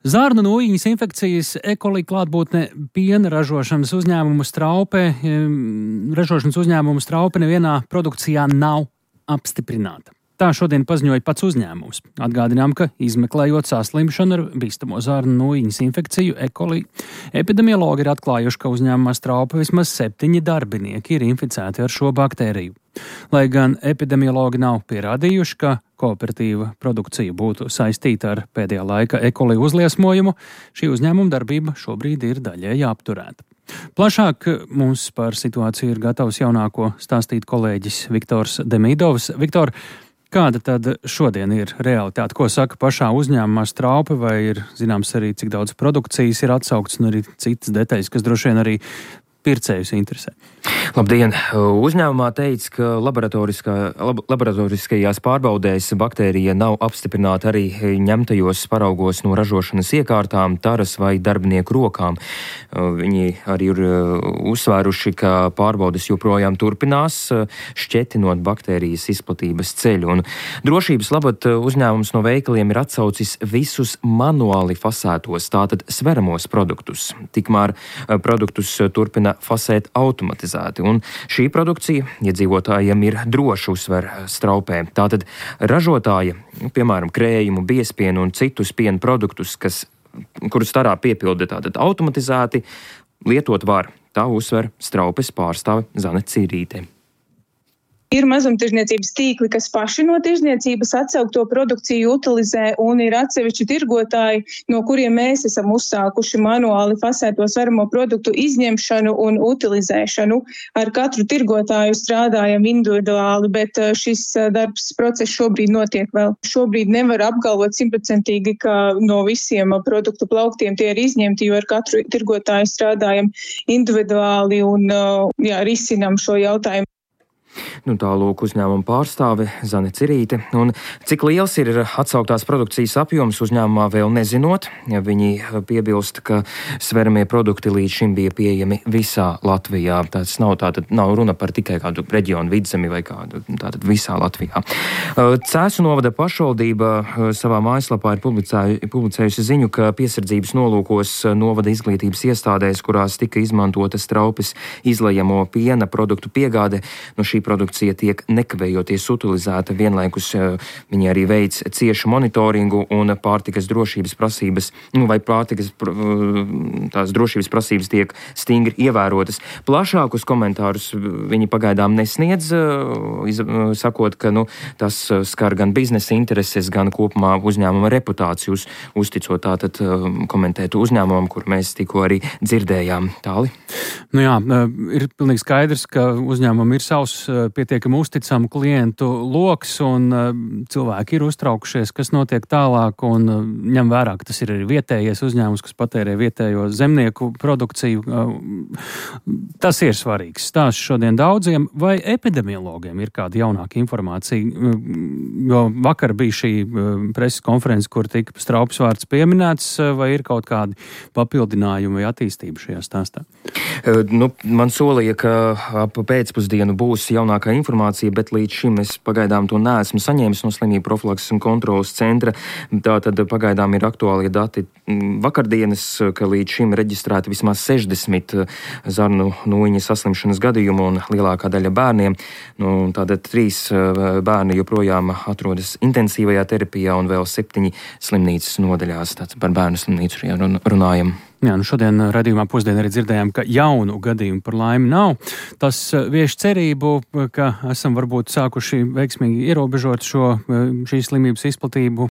Zarnu nūjiņas infekcijas E-coli klātbūtne piena ražošanas uzņēmumu Straupe nevienā produkcijā nav apstiprināta. Tā šodien paziņoja pats uzņēmums. Atgādinām, ka izmeklējot saslimšanu ar bīstamo zarnu nūjiņas infekciju E-coli, epidemiologi ir atklājuši, ka uzņēmumā Straupe vismaz 7 darbinieki ir inficēti ar šo baktēriju. Lai gan epidemiologi nav pierādījuši, ka kooperatīva produkcija būtu saistīta ar pēdējā laika E-coli uzliesmojumu, šī uzņēmuma darbība šobrīd ir daļēji apturēta. Plašāk mums par situāciju ir gatavs jaunāko stāstīt kolēģis Viktors Demidovs. Viktor, kāda tad šodien ir realitāte? Ko saka pašā uzņēmumā Straupe, vai ir zināms arī, cik daudz produkcijas ir atsaukts un arī citas detaļas, kas droši vien arī pircējus interesē? Labdien! Uzņēmumā teica, ka laboratoriskajās pārbaudēs baktērija nav apstiprināta arī ņemtajos paraugos no ražošanas iekārtām, taras vai darbinieku rokām. Viņi arī ir uzsvēruši, ka pārbaudes joprojām turpinās, šķetinot baktērijas izplatības ceļu. Un drošības labad uzņēmums no veikaliem ir atsaucis visus manuāli fasētos, tātad sveramos produktus. Tikmēr produktus turpina fasēt automatizēti. Un šī produkcija iedzīvotājiem ir droši, uzsver Straupē. Tātad ražotāji, piemēram, krējumu, biespienu un citus piena produktus, kurus tarā piepilda tātad automatizēti, lietot var. Tā uzsver Straupes pārstāve Zane Cirīte. Ir mazumtirdzniecības tīkli, kas paši no tirdzniecības atsaukto produkciju utilizē, un ir atsevišķi tirgotāji, no kuriem mēs esam uzsākuši manuāli fasēto sveramo produktu izņemšanu un utilizēšanu. Ar katru tirgotāju strādājam individuāli, bet šis process šobrīd notiek vēl. Šobrīd nevar apgalvot 100%, ka no visiem produktu plauktiem tie ir izņemti, jo ar katru tirgotāju strādājam individuāli un risinam šo jautājumu. Tālūk uzņēmuma pārstāve Zane Cirīte. Un cik liels ir atsauktās produkcijas apjoms uzņēmumā vēl nezinot, viņi piebilst, ka sveramie produkti līdz šim bija pieejami visā Latvijā. Tas nav runa par tikai kādu reģionu Vidzemi vai kādu, tātad visā Latvijā. Cēsu novada pašvaldība savā mājaslapā ir publicējusi ziņu, ka piesardzības nolūkos novada izglītības iestādēs, kurās tika izmantota Straupes izlejamo piena produktu piegāde, no šī produkcija tiek nekavējoties utilizēta, vienlaikus viņi arī veic ciešu monitoringu un pārtikas drošības prasības, tās drošības prasības tiek stingri ievērotas. Plašākus komentārus viņi pagaidām nesniedz, sakot, ka tas skar gan biznesa intereses, gan kopumā uzņēmuma reputāciju, uzticot tātad komentētu uzņēmumam, kur mēs tikko arī dzirdējām. Tāli? Ir pilnīgi skaidrs, ka uzņēmumam ir savs pietiekami uzticamu klientu loks, un cilvēki ir uztraukušies, kas notiek tālāk, un ņem vērā, ka tas ir arī vietējais uzņēmums, kas patērē vietējo zemnieku produkciju. Tas ir svarīgs stāsts šodien daudziem. Vai epidemiologiem ir kāda jaunāka informācija? Jo vakar bija šī preses konference, kur tika Straupes vārds pieminēts, vai ir kaut kādi papildinājumi vai attīstība šajā stāstā? Man solīja, ka ap pēcpusdienu būs jaunākā informācija, bet līdz šim es pagaidām to neesmu saņēmis no slimību profilakses un kontrolas centra. Tātad pagaidām ir aktuālie dati vakardienas, ka līdz šim reģistrēti vismaz 60 zarnu nūjiņas saslimšanas gadījumu un lielākā daļa bērniem. Tātad 3 bērni joprojām atrodas intensīvajā terapijā un vēl 7 slimnīcas nodaļās. Tātad par bērnu slimnīcu runājam. Šodien raidījumā pusdien arī dzirdējām, ka jaunu gadījumu par laimi nav. Tas vieš cerību, ka esam varbūt sākuši veiksmīgi ierobežot šīs slimības izplatību